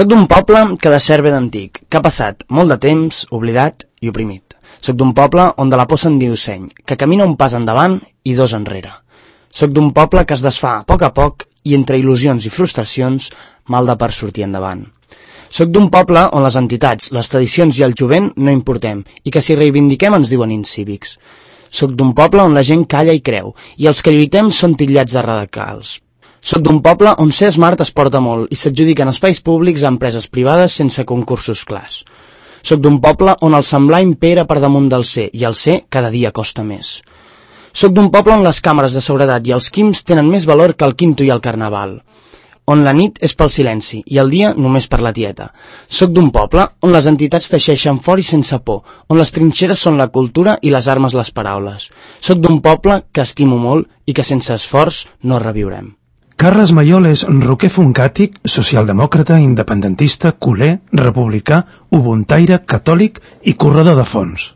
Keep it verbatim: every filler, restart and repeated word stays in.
Soc d'un poble que de cert ve d'antic, que ha passat molt de temps oblidat i oprimit. Soc d'un poble on de la por se'n diu seny, que camina un pas endavant i dos enrere. Soc d'un poble que es desfà a poc a poc i entre il·lusions i frustracions mal de per sortir endavant. Soc d'un poble on les entitats, les tradicions i el jovent no importem i que si reivindiquem ens diuen incívics. Soc d'un poble on la gent calla i creu i els que lluitem són titllats de radicals. Soc d'un poble on ser smart es porta molt i s'adjudiquen espais públics a empreses privades sense concursos clars. Soc d'un poble on el semblar impera per damunt del ser i el ser cada dia costa més. Soc d'un poble on les càmeres de seguretat i els quims tenen més valor que el quinto i el carnaval, on la nit és pel silenci i el dia només per la tieta. Soc d'un poble on les entitats teixeixen fort i sense por, on les trinxeres són la cultura i les armes les paraules. Soc d'un poble que estimo molt i que sense esforç no reviurem. Carles Mayol és roquer funkàtic, socialdemòcrata, independentista, culer, republicà, ubuntaire, catòlic i corredor de fons.